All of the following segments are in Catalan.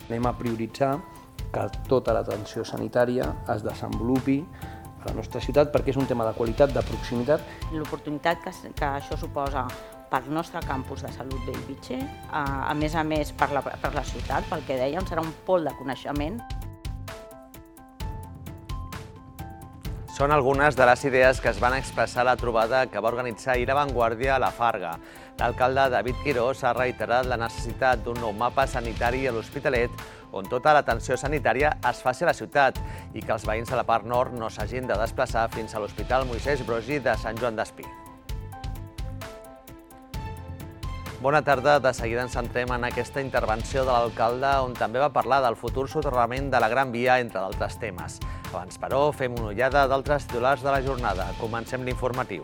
Anem a prioritzar que tota l'atenció sanitària es desenvolupi a la nostra ciutat perquè és un tema de qualitat, de proximitat. L'oportunitat que això suposa pel nostre campus de salut Bellvitge, a més per la ciutat, pel que dèiem, serà un pol de coneixement. Són algunes de les idees que es van expressar a la trobada que va organitzar ahir La Vanguardia a la Farga. L'alcalde David Quirós ha reiterat la necessitat d'un nou mapa sanitari a l'Hospitalet on tota l'atenció sanitària es faci a la ciutat i que els veïns de la part nord no s'hagin de desplaçar fins a l'Hospital Moisès Broggi de Sant Joan d'Espí. Bona tarda. De seguida ens centrem en aquesta intervenció de l'alcalde, on també va parlar del futur soterrament de la Gran Via, entre d'altres temes. Abans, però, fem una ullada d'altres titulars de la jornada. Comencem l'informatiu.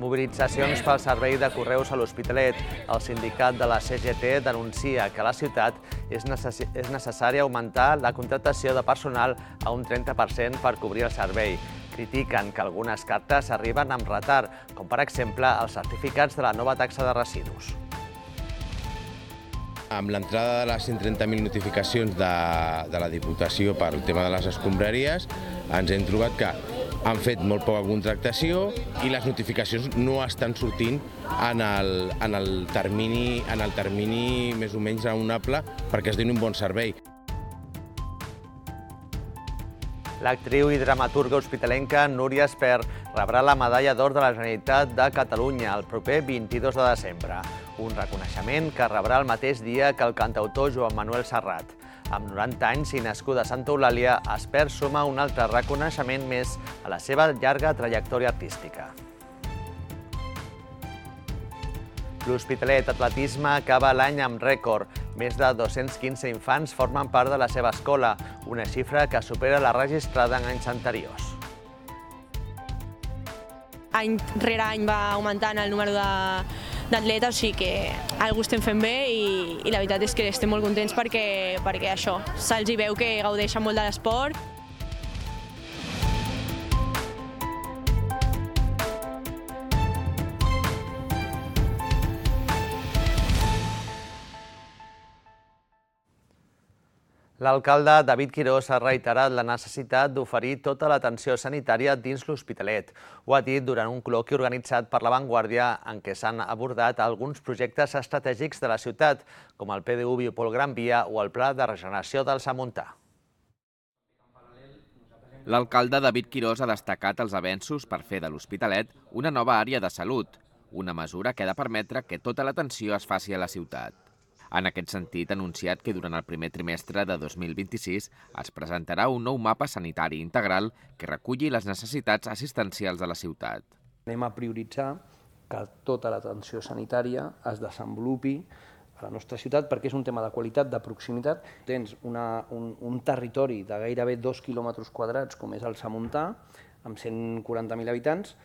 Mobilitzacions pel servei de correus a l'Hospitalet. El sindicat de la CGT denuncia que a la ciutat és necessari augmentar la contractació de personal a un 30% per cobrir el servei. Critiquen que algunes cartes arriben amb retard, com per exemple els certificats de la nova taxa de residus. Amb l'entrada de les 130.000 notificacions de la Diputació per el tema de les escombraries, ens hem trobat que han fet molt poca contractació i les notificacions no estan sortint en el termini més o menys raonable perquè es doni un bon servei. L'actriu i dramaturga hospitalenca Núria Espert rebrà la Medalla d'Or de la Generalitat de Catalunya el proper 22 de desembre, un reconeixement que rebrà el mateix dia que el cantautor Joan Manuel Serrat. Amb 90 anys i nascuda a Santa Eulàlia, Espert suma un altre reconeixement més a la seva llarga trajectòria artística. L'Hospitalet Atletisme acaba l'any amb rècord. Més de 215 infants formen part de la seva escola, una xifra que supera la registrada en anys anteriors. Any rere any va augmentant el número d'atletes, o sigui que alguna cosa estem fent bé i la veritat és que estem molt contents perquè això, se'ls hi veu que gaudeixen molt de l'esport. L'alcalde David Quirós ha reiterat la necessitat d'oferir tota l'atenció sanitària dins l'Hospitalet. Ho ha dit durant un col·loqui organitzat per La Vanguardia en què s'han abordat alguns projectes estratègics de la ciutat, com el PDU Biopol Gran Via o el Pla de Regeneració del Samuntà. L'alcalde David Quirós ha destacat els avenços per fer de l'Hospitalet una nova àrea de salut, una mesura que ha de permetre que tota l'atenció es faci a la ciutat. En aquest sentit, ha anunciat que durant el primer trimestre de 2026 es presentarà un nou mapa sanitari integral que reculli les necessitats assistencials de la ciutat. Anem a prioritzar que tota l'atenció sanitària es desenvolupi a la nostra ciutat perquè és un tema de qualitat, de proximitat. Tens un territori de gairebé 2 quilòmetres quadrats, com és el Samuntà, amb 140.000 habitants,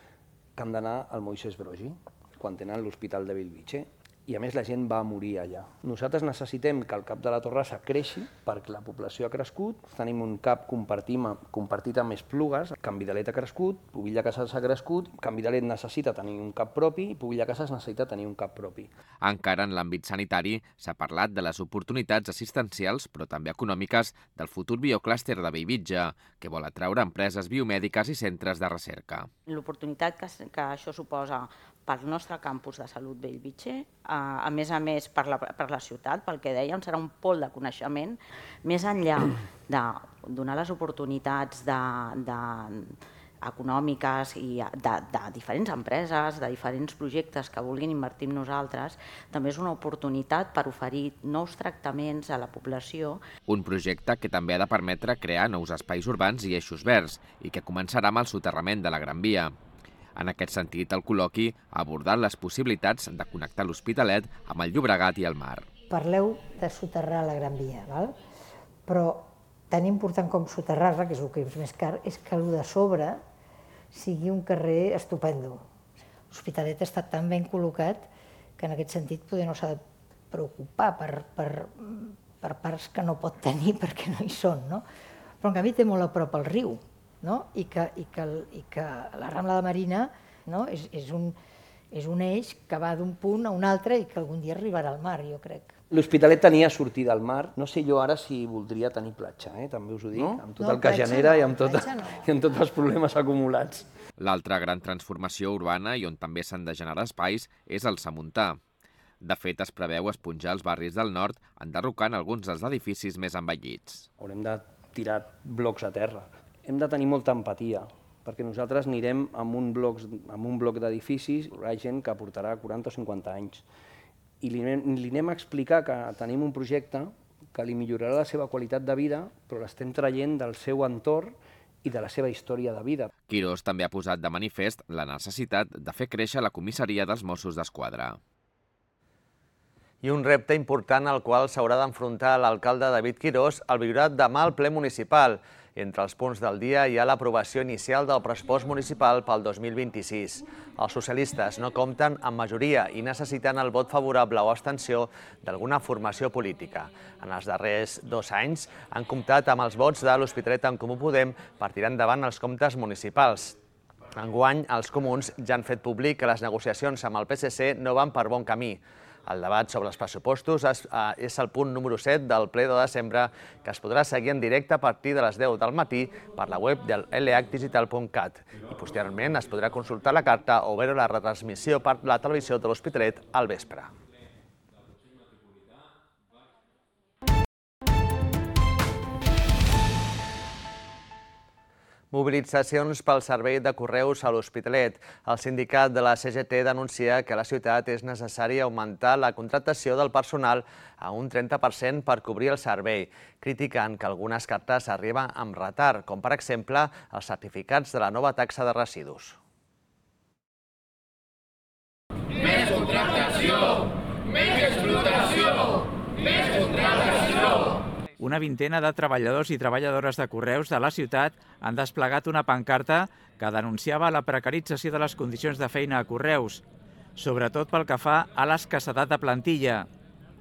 que han d'anar al Moisès Broggi, quan tenen l'Hospital de Bellvitge. I a més la gent va morir allà. Nosaltres necessitem que el CAP de la Torrassa creixi perquè la població ha crescut, tenim un CAP compartit amb Esplugues, Can Vidalet ha crescut, Pubilla Casals ha crescut, Can Vidalet necessita tenir un CAP propi i Pubilla Casals necessita tenir un CAP propi. Encara en l'àmbit sanitari s'ha parlat de les oportunitats assistencials, però també econòmiques, del futur bioclúster de Bellvitge, que vol atraure empreses biomèdiques i centres de recerca. L'oportunitat que això suposa pel nostre campus de salut Bellvitge, a més per la ciutat, pel que dèiem, serà un pol de coneixement, més enllà de donar les oportunitats econòmiques i de diferents empreses, de diferents projectes que vulguin invertir en nosaltres, també és una oportunitat per oferir nous tractaments a la població. Un projecte que també ha de permetre crear nous espais urbans i eixos verds i que començarà amb el soterrament de la Gran Via. En aquest sentit, el col·loqui ha abordat les possibilitats de connectar l'Hospitalet amb el Llobregat i el mar. Parleu de soterrar la Gran Via, però tan important com soterrar-la, que és el que és més car, és que el de sobre sigui un carrer estupendo. L'Hospitalet està tan ben col·locat que en aquest sentit poder no s'ha de preocupar per parts que no pot tenir perquè no hi són, no? Però en canvi té molt a prop el riu. I que la Rambla de Marina és un eix que va d'un punt a un altre i que algun dia arribarà al mar, jo crec. L'Hospitalet tenia sortida al mar. No sé jo ara si voldria tenir platja, també us ho dic, amb tot el que genera i amb tots els problemes acumulats. L'altra gran transformació urbana i on també s'han de generar espais és el Samuntà. De fet, es preveu esponjar els barris del nord enderrocant alguns dels edificis més envellits. Haurem de tirar blocs a terra. Hem de tenir molta empatia, perquè nosaltres anirem amb un bloc d'edificis, hi ha gent que portarà 40 o 50 anys, i li anem a explicar que tenim un projecte que li millorarà la seva qualitat de vida, però l'estem traient del seu entorn i de la seva història de vida. Quirós també ha posat de manifest la necessitat de fer créixer la comissaria dels Mossos d'Esquadra. I un repte important al qual s'haurà d'enfrontar l'alcalde David Quirós el viurà demà al ple municipal. Entre els punts del dia hi ha l'aprovació inicial del pressupost municipal pel 2026. Els socialistes no compten amb majoria i necessiten el vot favorable o abstenció d'alguna formació política. En els darrers 2 anys han comptat amb els vots de l'Hospitalet en Comú Podem per tirar endavant els comptes municipals. Enguany, els comuns ja han fet públic que les negociacions amb el PSC no van per bon camí. El debat sobre els pressupostos és el punt número 7 del ple de desembre, que es podrà seguir en directe a partir de les 10 del matí per la web del lhdigital.cat i posteriorment es podrà consultar la carta o veure la retransmissió per la televisió de l'Hospitalet al vespre. Mobilitzacions pel servei de correus a l'Hospitalet. El sindicat de la CGT denuncia que a la ciutat és necessari augmentar la contractació del personal a un 30% per cobrir el servei, criticant que algunes cartes arriben amb retard, com per exemple els certificats de la nova taxa de residus. Més contractació, més explotació, més contractació. Una vintena de treballadors i treballadores de correus de la ciutat han desplegat una pancarta que denunciava la precarització de les condicions de feina a correus, sobretot pel que fa a l'escassedat de plantilla.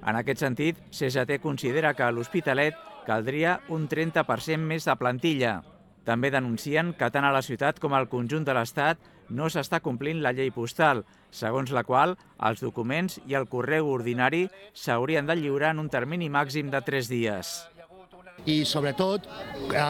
En aquest sentit, CGT considera que a l'Hospitalet caldria un 30% més de plantilla. També denuncien que tant a la ciutat com al conjunt de l'Estat no s'està complint la llei postal, segons la qual els documents i el correu ordinari s'haurien de lliurar en un termini màxim de 3 dies. I sobretot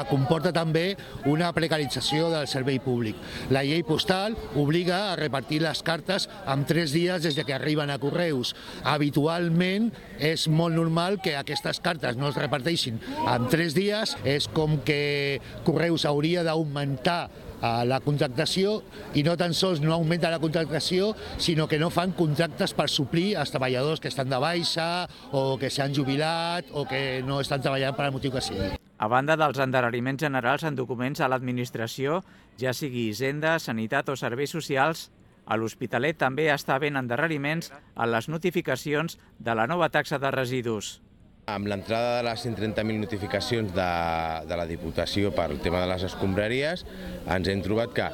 comporta també una precarització del servei públic. La llei postal obliga a repartir les cartes en 3 dies des que arriben a correus. Habitualment és molt normal que aquestes cartes no es reparteixin en 3 dies. És com que correus hauria d'augmentar la contractació i no tan sols no augmenta la contractació, sinó que no fan contractes per suplir els treballadors que estan de baixa o que s'han jubilat o que no estan treballant per al motiu que sigui. A banda dels endarreriments generals en documents a l'administració, ja sigui Hisenda, Sanitat o Serveis Socials, a l'Hospitalet també està havent endarreriments en les notificacions de la nova taxa de residus. Amb l'entrada de les 130.000 notificacions de la Diputació per el tema de les escombraries, ens hem trobat que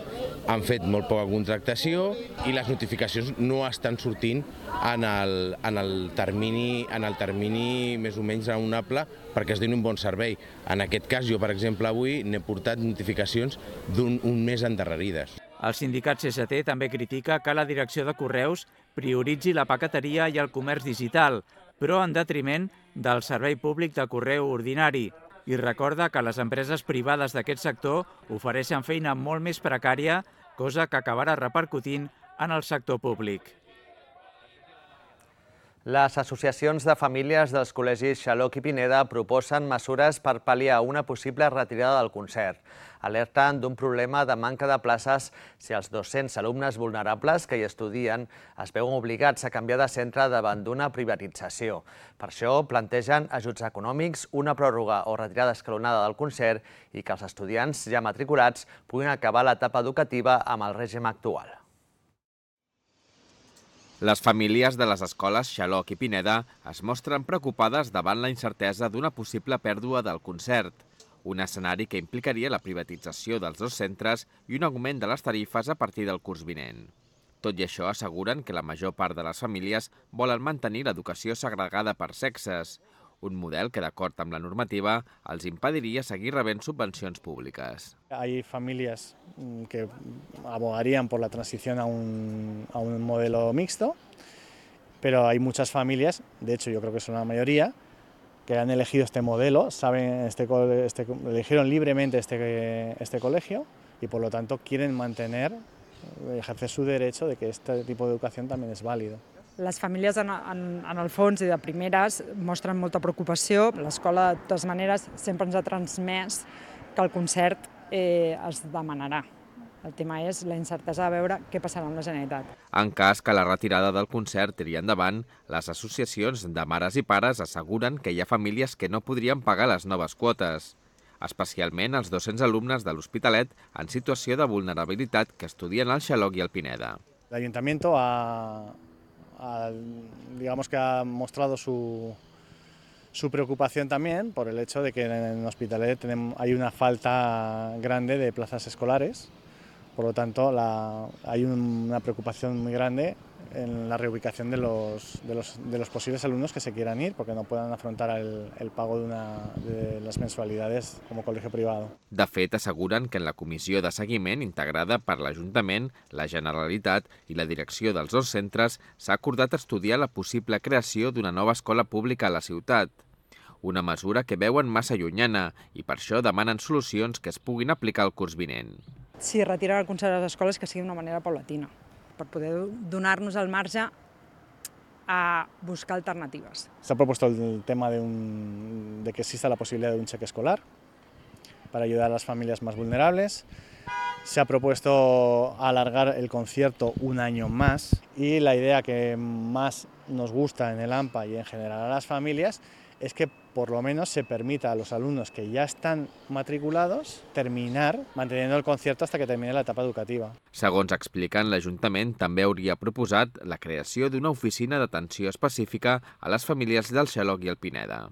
han fet molt poca contractació i les notificacions no estan sortint en el termini més o menys raonable perquè es doni un bon servei. En aquest cas, jo, per exemple, avui n'he portat notificacions d'un mes endarrerides. El sindicat CGT també critica que la direcció de correus prioritzi la paqueteria i el comerç digital, però en detriment del servei públic de correu ordinari, i recorda que les empreses privades d'aquest sector ofereixen feina molt més precària, cosa que acabarà repercutint en el sector públic. Les associacions de famílies dels col·legis Xaloc i Pineda proposen mesures per pal·liar una possible retirada del concert. Alerten d'un problema de manca de places si els 200 alumnes vulnerables que hi estudien es veuen obligats a canviar de centre davant d'una privatització. Per això plantegen ajuts econòmics, una pròrroga o retirada escalonada del concert i que els estudiants ja matriculats puguin acabar l'etapa educativa amb el règim actual. Les famílies de les escoles Xaloc i Pineda es mostren preocupades davant la incertesa d'una possible pèrdua del concert, un escenari que implicaria la privatització dels 2 centres i un augment de les tarifes a partir del curs vinent. Tot i això, asseguren que la major part de les famílies volen mantenir l'educació segregada per sexes, un model que, d'acord amb la normativa, els impediria seguir rebent subvencions públiques. Hay familias que abogarían por la transición a un modelo mixto pero hay muchas familias, de hecho yo creo que son la mayoría, que han elegido este modelo, eligieron libremente este colegio y por lo tanto quieren mantener, ejercer su derecho de que este tipo de educación también es válido. Les famílies, en el fons i de primeres, mostren molta preocupació. L'escola, de totes maneres, sempre ens ha transmès que el concert es demanarà. El tema és la incertesa de veure què passarà amb la Generalitat. En cas que la retirada del concert tiri endavant, les associacions de mares i pares asseguren que hi ha famílies que no podrien pagar les noves quotes, especialment els 200 alumnes de l'Hospitalet en situació de vulnerabilitat que estudien al Xaloc i al Pineda. El Ayuntamiento digamos que ha mostrado su preocupación también por el hecho de que en Hospitalet hay una falta grande de plazas escolares. Por lo tanto, hay una preocupación muy grande en la reubicación de los posibles alumnos que se quieran ir porque no puedan afrontar el pago de las mensualidades como colegio privado. De fet, asseguren que en la comissió de seguiment integrada per l'Ajuntament, la Generalitat i la direcció dels dos centres s'ha acordat estudiar la possible creació d'una nova escola pública a la ciutat. Una mesura que veuen massa llunyana i per això demanen solucions que es puguin aplicar el curs vinent. Si retirar el concert a les escoles, que sigui d'una manera paulatina, per poder donar-nos el marge a buscar alternatives. Se ha propuesto el tema de que exista la posibilidad de un cheque escolar para ayudar a las familias más vulnerables. Se ha propuesto alargar el concierto un año más y la idea que más nos gusta en el AMPA y en general a las familias es que por lo menos se permita a los alumnos que ya están matriculados terminar manteniendo el concierto hasta que termine la etapa educativa. Segons expliquen, l'Ajuntament també hauria proposat la creació d'una oficina d'atenció específica a les famílies del Xaloc i el Pineda.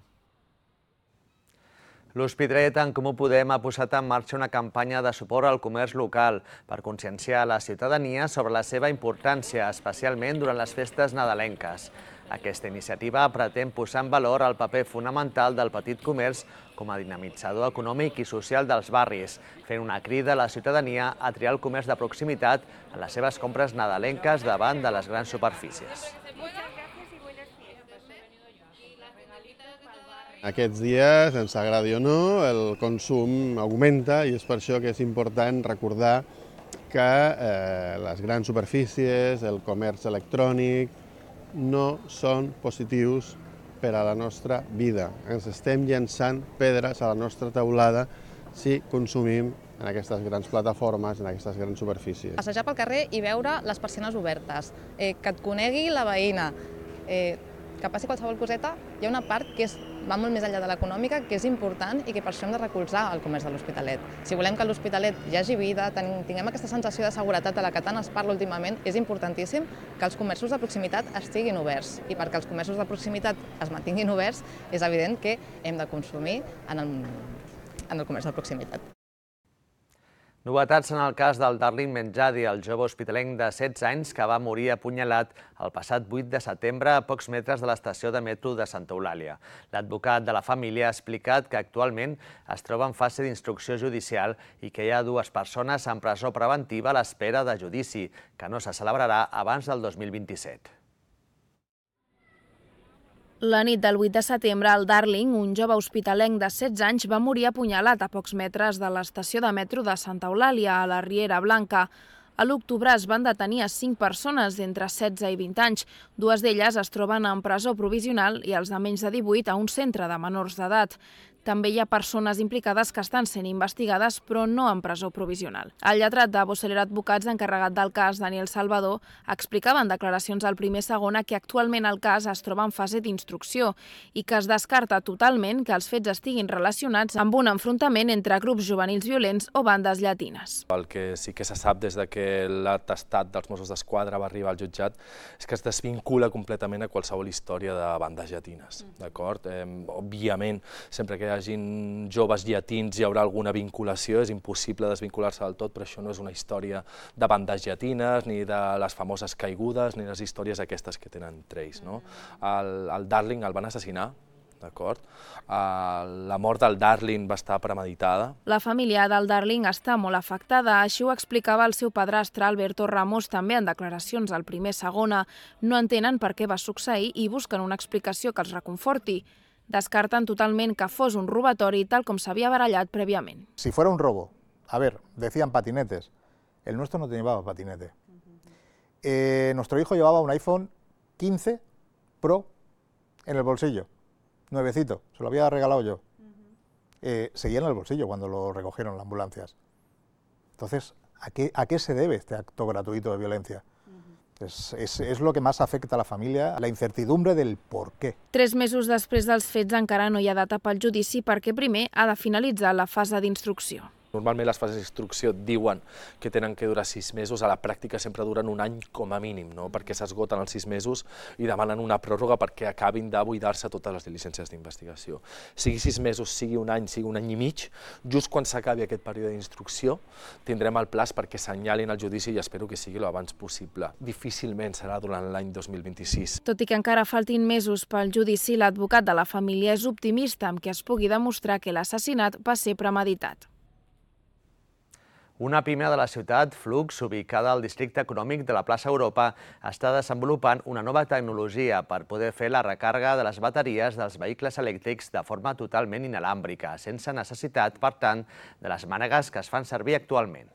L'Hospitalet en Comú Podem ha posat en marxa una campanya de suport al comerç local per conscienciar la ciutadania sobre la seva importància, especialment durant les festes nadalenques. Aquesta iniciativa pretén posar en valor el paper fonamental del petit comerç com a dinamitzador econòmic i social dels barris, fent una crida a la ciutadania a triar el comerç de proximitat en les seves compres nadalenques davant de les grans superfícies. Aquests dies, ens agradi o no, el consum augmenta i és per això que és important recordar que les grans superfícies, el comerç electrònic, no són positius per a la nostra vida. Ens estem llançant pedres a la nostra teulada si consumim en aquestes grans plataformes, en aquestes grans superfícies. Passejar pel carrer i veure les persianes obertes, que et conegui la veïna, que passi qualsevol coseta, hi ha una part que va molt més enllà de l'econòmica, que és important i que per això hem de recolzar el comerç de l'Hospitalet. Si volem que a l'Hospitalet hi hagi vida, tinguem aquesta sensació de seguretat de la que tant es parla últimament, és importantíssim que els comerços de proximitat estiguin oberts. I perquè els comerços de proximitat es mantinguin oberts, és evident que hem de consumir en el comerç de proximitat. Novetats en el cas del Darling Menjadi, el jove hospitalenc de 16 anys que va morir apunyalat el passat 8 de setembre a pocs metres de l'estació de metro de Santa Eulàlia. L'advocat de la família ha explicat que actualment es troba en fase d'instrucció judicial i que hi ha 2 persones en presó preventiva a l'espera de judici, que no se celebrarà abans del 2027. La nit del 8 de setembre, el Darling, un jove hospitalenc de 16 anys, va morir apunyalat a pocs metres de l'estació de metro de Santa Eulàlia, a la Riera Blanca. A l'octubre es van detenir a 5 persones d'entre 16 i 20 anys. 2 d'elles es troben en presó provisional i els de menys de 18 a un centre de menors d'edat. També hi ha persones implicades que estan sent investigades, però no en presó provisional. El lletrat de Boceler Advocats, encarregat del cas, Daniel Salvador, explicava en declaracions al Primer Segona que actualment el cas es troba en fase d'instrucció i que es descarta totalment que els fets estiguin relacionats amb un enfrontament entre grups juvenils violents o bandes llatines. El que sí que se sap des que l'atestat dels Mossos d'Esquadra va arribar al jutjat és que es desvincula completament a qualsevol història de bandes llatines. Òbviament, sempre que hi hagin joves llatins hi haurà alguna vinculació, és impossible desvincular-se del tot, però això no és una història de bandes llatines, ni de les famoses caigudes, ni les històries aquestes que tenen entre ells. El Darling el van assassinar d'acord? La mort del Darling va estar premeditada. La família del Darling està molt afectada, així ho explicava el seu padrastre Alberto Ramos també en declaracions al Primer Segona. No entenen per què va succeir i busquen una explicació que els reconforti. Descarten totalment que fos un robatori tal com s'havia barallat prèviament. Si fuera un robo, a ver, decían patinetes, el nuestro no llevaba patinete. Nuestro hijo llevaba un iPhone 15 Pro en el bolsillo, nuevecito, se lo había regalado yo. Seguía en el bolsillo cuando lo recogieron las ambulancias. Entonces, ¿a qué se debe este acto gratuito de violencia? Es lo que más afecta a la familia, la incertidumbre del por qué. 3 mesos després dels fets encara no hi ha data pel judici perquè primer ha de finalitzar la fase d'instrucció. Normalment les fases d'instrucció diuen que tenen que durar 6 mesos, a la pràctica sempre duren un any com a mínim, no? Perquè s'esgoten els 6 mesos i demanen una pròrroga perquè acabin de buidar-se totes les diligències d'investigació. Sigui 6 mesos, sigui un any i mig, just quan s'acabi aquest període d'instrucció tindrem el plaç perquè senyalin el judici i espero que sigui l'abans possible. Difícilment serà durant l'any 2026. Tot i que encara faltin mesos pel judici, l'advocat de la família és optimista amb que es pugui demostrar que l'assassinat va ser premeditat. Una pime de la ciutat, Flux, ubicada al districte econòmic de la plaça Europa, està desenvolupant una nova tecnologia per poder fer la recàrrega de les bateries dels vehicles elèctrics de forma totalment inalàmbrica, sense necessitat, per tant, de les mànegues que es fan servir actualment.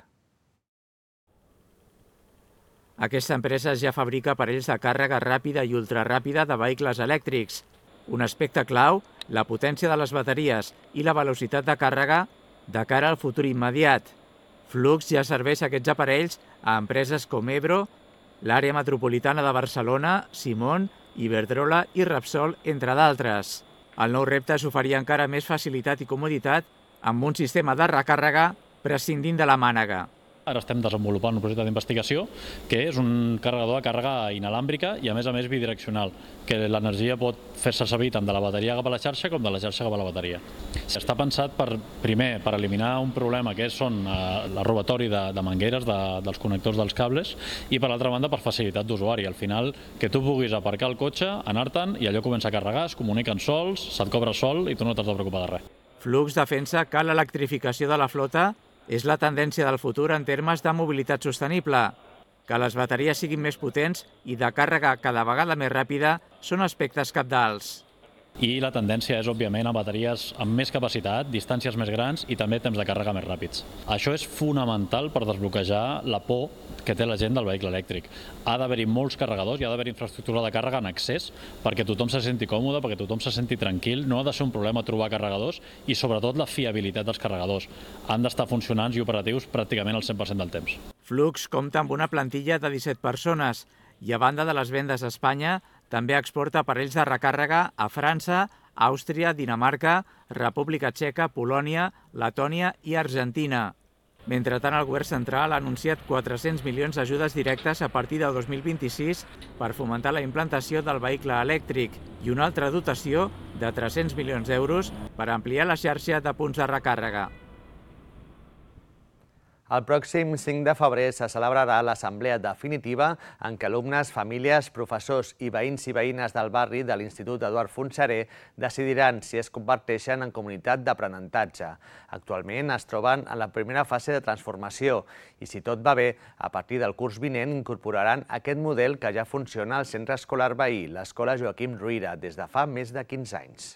Aquesta empresa ja fabrica aparells de càrrega ràpida i ultraràpida de vehicles elèctrics. Un aspecte clau, la potència de les bateries i la velocitat de càrrega de cara al futur immediat. Flux ja serveix aquests aparells a empreses com Ebro, l'àrea metropolitana de Barcelona, Simón, Iberdrola i Repsol, entre d'altres. El nou repte és oferir encara més facilitat i comoditat amb un sistema de recàrrega prescindint de la mànega. Ara estem desenvolupant un projecte d'investigació que és un carregador de càrrega inalàmbrica i a més bidireccional, que l'energia pot fer-se servir tant de la bateria cap a la xarxa com de la xarxa cap a la bateria. Està pensat primer per eliminar un problema que són el robatori de mangueres dels connectors dels cables i per l'altra banda per facilitat d'usuari. Al final que tu puguis aparcar el cotxe, anar-te'n i allò comença a carregar, es comuniquen sols, se't cobra sol i tu no t'has de preocupar de res. Flux defensa que l'electrificació de la flota és la tendència del futur en termes de mobilitat sostenible. Que les bateries siguin més potents i de càrrega cada vegada més ràpida són aspectes cabdals. I la tendència és, òbviament, a bateries amb més capacitat, distàncies més grans i també temps de càrrega més ràpids. Això és fonamental per desbloquejar la por que té la gent del vehicle elèctric. Ha d'haver-hi molts carregadors, hi ha d'haver infraestructura de càrrega en accés perquè tothom se senti còmode, perquè tothom se senti tranquil. No ha de ser un problema trobar carregadors i, sobretot, la fiabilitat dels carregadors. Han d'estar funcionants i operatius pràcticament al 100% del temps. Flux compta amb una plantilla de 17 persones i, a banda de les vendes a Espanya, també exporta aparells de recàrrega a França, Àustria, Dinamarca, República Txeca, Polònia, Letònia i Argentina. Mentrestant, el govern central ha anunciat 400 milions d'ajudes directes a partir del 2026 per fomentar la implantació del vehicle elèctric i una altra dotació de 300 milions d'euros per ampliar la xarxa de punts de recàrrega. El pròxim 5 de febrer se celebrarà l'assemblea definitiva en què alumnes, famílies, professors i veïns i veïnes del barri de l'Institut Eduard Fontserè decidiran si es converteixen en comunitat d'aprenentatge. Actualment es troben en la primera fase de transformació i, si tot va bé, a partir del curs vinent incorporaran aquest model que ja funciona al centre escolar veí, l'Escola Joaquim Ruyra, des de fa més de 15 anys.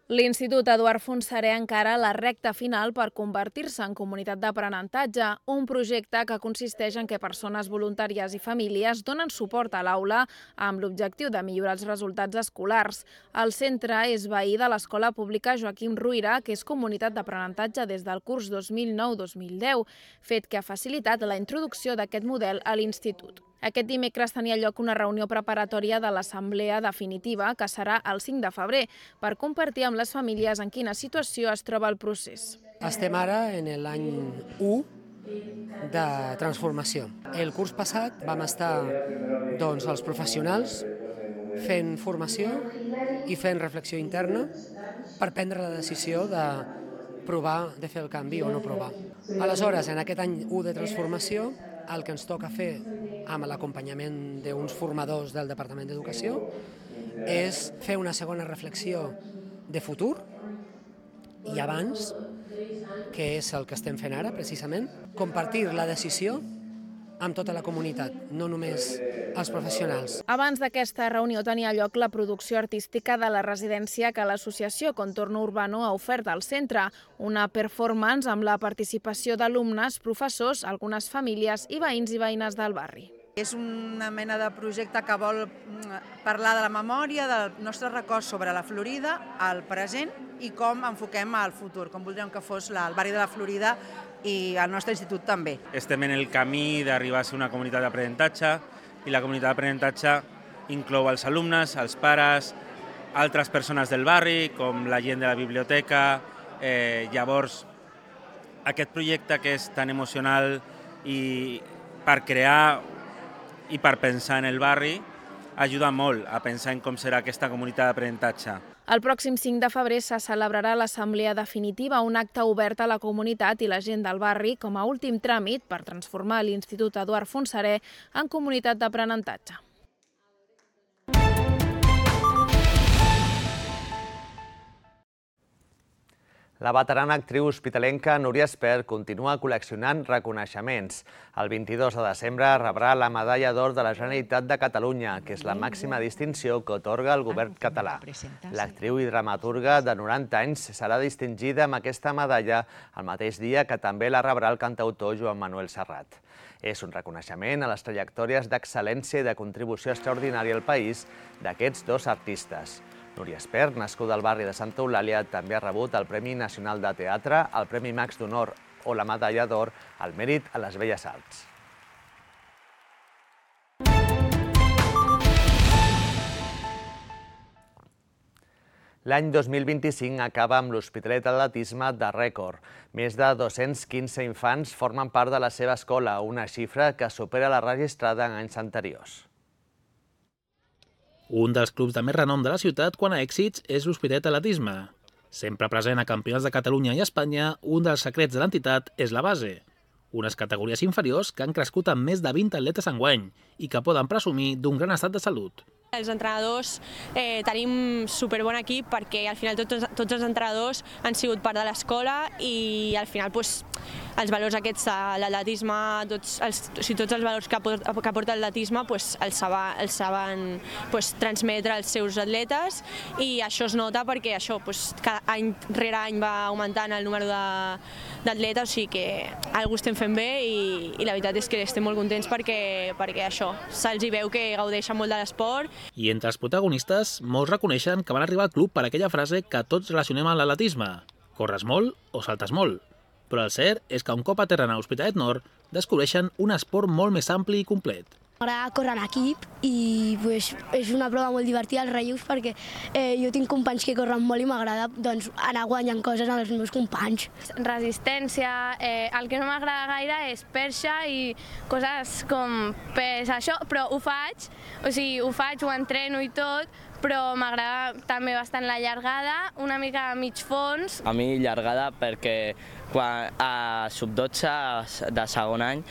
L'Institut Eduard Fontserè encara la recta final per convertir-se en comunitat d'aprenentatge, un projecte que consisteix en què persones voluntàries i famílies donen suport a l'aula amb l'objectiu de millorar els resultats escolars. El centre és veí de l'Escola Pública Joaquim Ruyra, que és comunitat d'aprenentatge des del curs 2009-2010, fet que ha facilitat la introducció d'aquest model a l'institut. Aquest dimecres tenia lloc una reunió preparatòria de l'assemblea definitiva, que serà el 5 de febrer, per compartir amb les famílies en quina situació es troba el procés. Estem ara en l'any 1 de transformació. El curs passat vam estar els professionals fent formació i fent reflexió interna per prendre la decisió de provar de fer el canvi o no provar. Aleshores, en aquest any 1 de transformació, el que ens toca fer amb l'acompanyament d'uns formadors del Departament d'Educació és fer una segona reflexió de futur i abans, que és el que estem fent ara, precisament, compartir la decisió amb tota la comunitat, no només els professionals. Abans d'aquesta reunió tenia lloc la producció artística de la residència que l'associació Contorno Urbano ha ofert al centre, una performance amb la participació d'alumnes, professors, algunes famílies i veïns i veïnes del barri. És una mena de projecte que vol parlar de la memòria, del nostre record sobre la Florida, el present i com enfoquem el futur, com voldríem que fos el barri de la Florida i el nostre institut també. Estem en el camí d'arribar a ser una comunitat d'aprenentatge i la comunitat d'aprenentatge inclou els alumnes, els pares, altres persones del barri, com la gent de la biblioteca. Llavors, aquest projecte que és tan emocional i per crear i per pensar en el barri ajuda molt a pensar en com serà aquesta comunitat d'aprenentatge. El pròxim 5 de febrer se celebrarà l'assemblea definitiva, un acte obert a la comunitat i la gent del barri com a últim tràmit per transformar l'Institut Eduard Fontserè en comunitat d'aprenentatge. La veterana actriu hospitalenca Núria Espert continua col·leccionant reconeixements. El 22 de desembre rebrà la Medalla d'Or de la Generalitat de Catalunya, que és la màxima distinció que atorga el govern català. L'actriu i dramaturga de 90 anys serà distingida amb aquesta medalla el mateix dia que també la rebrà el cantautor Joan Manuel Serrat. És un reconeixement a les trajectòries d'excel·lència i de contribució extraordinària al país d'aquests dos artistes. Núria Espert, nascuda al barri de Santa Eulàlia, també ha rebut el Premi Nacional de Teatre, el Premi Max d'Honor o la Medalla d'Or al Mèrit a les Belles Arts. L'any 2025 acaba amb l'Hospitalet d'Atletisme de rècord. Més de 215 infants formen part de la seva escola, una xifra que supera la registrada en anys anteriors. Un dels clubs de més renom de la ciutat quant a èxits és l'Hospitalet d'Atletisme. Sempre present a campionats de Catalunya i Espanya, un dels secrets de l'entitat és la base. Unes categories inferiors que han crescut amb més de 20 atletes enguany i que poden presumir d'un gran estat de salut. Els entrenadors tenim superbon equip perquè al final tots els entrenadors han sigut part de l'escola i al final els valors aquests de l'atletisme, tots els valors que aporta l'atletisme els saben transmetre als seus atletes i això es nota perquè cada any rere any va augmentant el número d'atletes, o sigui que alguna estem fent bé i la veritat és que estem molt contents perquè això, se'ls veu que gaudeixen molt de l'esport. I entre els protagonistes, molts reconeixen que van arribar al club per aquella frase que tots relacionem amb l'atletisme: corres molt o saltes molt. Però el cert és que un cop aterren a l'Hospitalet Nord, descobreixen un esport molt més ampli i complet. M'agrada córrer en equip i és una prova molt divertida, els relleus, perquè jo tinc companys que corren molt i m'agrada anar guanyant coses amb els meus companys. Resistència, el que no m'agrada gaire és perxa i coses com pes, això, però ho faig, ho entreno i tot, però m'agrada també bastant la llargada, una mica a mig fons. A mi llargada perquè quan a sub-12 de segon any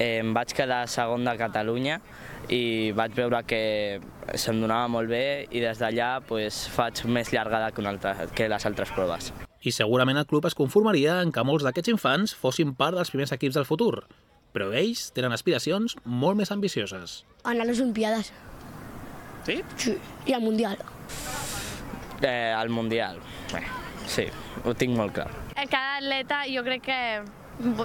em vaig quedar segon de Catalunya i vaig veure que se'm donava molt bé i des d'allà faig més llargada que les altres proves. I segurament el club es conformaria en que molts d'aquests infants fossin part dels primers equips del futur, però ells tenen aspiracions molt més ambicioses. Anar a les Olimpiades. Sí? Sí, i al Mundial. Al Mundial, sí, ho tinc molt clar. Cada atleta jo crec que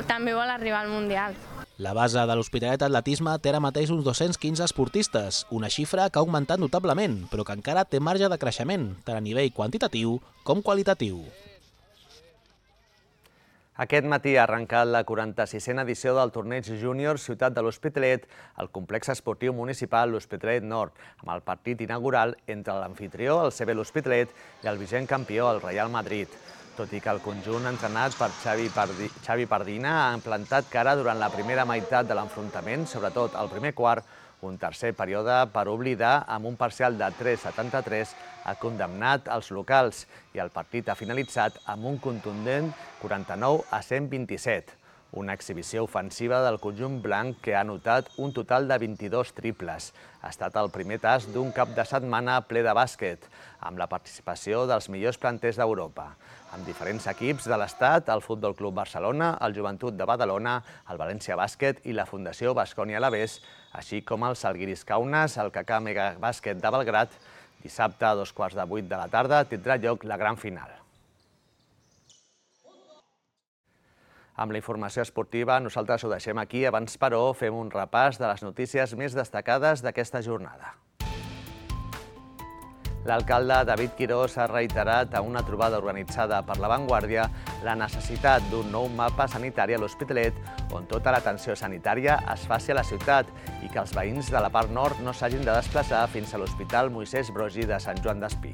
també vol arribar al Mundial. La base de l'Hospitalet d'Atletisme té ara mateix uns 215 esportistes, una xifra que ha augmentat notablement, però que encara té marge de creixement, tant a nivell quantitatiu com qualitatiu. Aquest matí ha arrencat la 46a edició del torneig júnior Ciutat de l'Hospitalet al complex esportiu municipal l'Hospitalet Nord, amb el partit inaugural entre l'amfitrió, el CB l'Hospitalet, i el vigent campió, el Real Madrid. Tot i que el conjunt entrenat per Xavi Pardina ha plantat cara durant la primera meitat de l'enfrontament, sobretot al primer quart, un tercer període per oblidar amb un parcial de 3-73 ha condemnat els locals i el partit ha finalitzat amb un contundent 49-127. Una exhibició ofensiva del conjunt blanc que ha anotat un total de 22 triples. Ha estat el primer tast d'un cap de setmana ple de bàsquet, amb la participació dels millors planters d'Europa. Amb diferents equips de l'Estat, el Futbol Club Barcelona, el Joventut de Badalona, el València Bàsquet i la Fundació Baskonia Alavés, així com el Salguiris Kaunas, el KK Mega Bàsquet de Belgrat. Dissabte, a 7:15 de la tarda, tindrà lloc la gran final. Amb la informació esportiva, nosaltres ho deixem aquí. Abans, però, fem un repàs de les notícies més destacades d'aquesta jornada. L'alcalde David Quirós ha reiterat a una trobada organitzada per La Vanguardia la necessitat d'un nou mapa sanitari a l'Hospitalet on tota l'atenció sanitària es faci a la ciutat i que els veïns de la part nord no s'hagin de desplaçar fins a l'Hospital Moisès Broggi de Sant Joan d'Espí.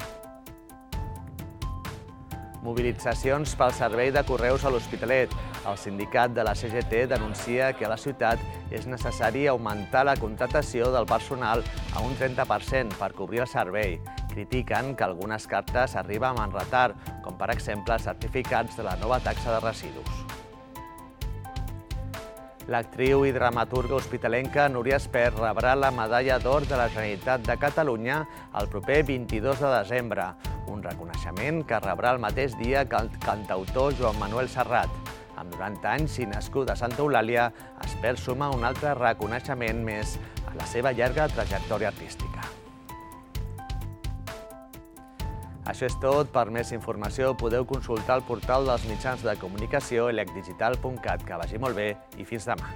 Mobilitzacions pel servei de correus a l'Hospitalet. El sindicat de la CGT denuncia que a la ciutat és necessari augmentar la contractació del personal a un 30% per cobrir el servei. Critiquen que algunes cartes arriben amb retard, com per exemple certificats de la nova taxa de residus. L'actriu i dramaturga hospitalenca Núria Espert rebrà la Medalla d'Or de la Generalitat de Catalunya el proper 22 de desembre, un reconeixement que rebrà el mateix dia que el cantautor Joan Manuel Serrat. Amb 90 anys i nascut a Santa Eulàlia, Espert suma un altre reconeixement més a la seva llarga trajectòria artística. Això és tot. Per més informació podeu consultar el portal dels mitjans de comunicació elecdigital.cat. Que vagi molt bé i fins demà.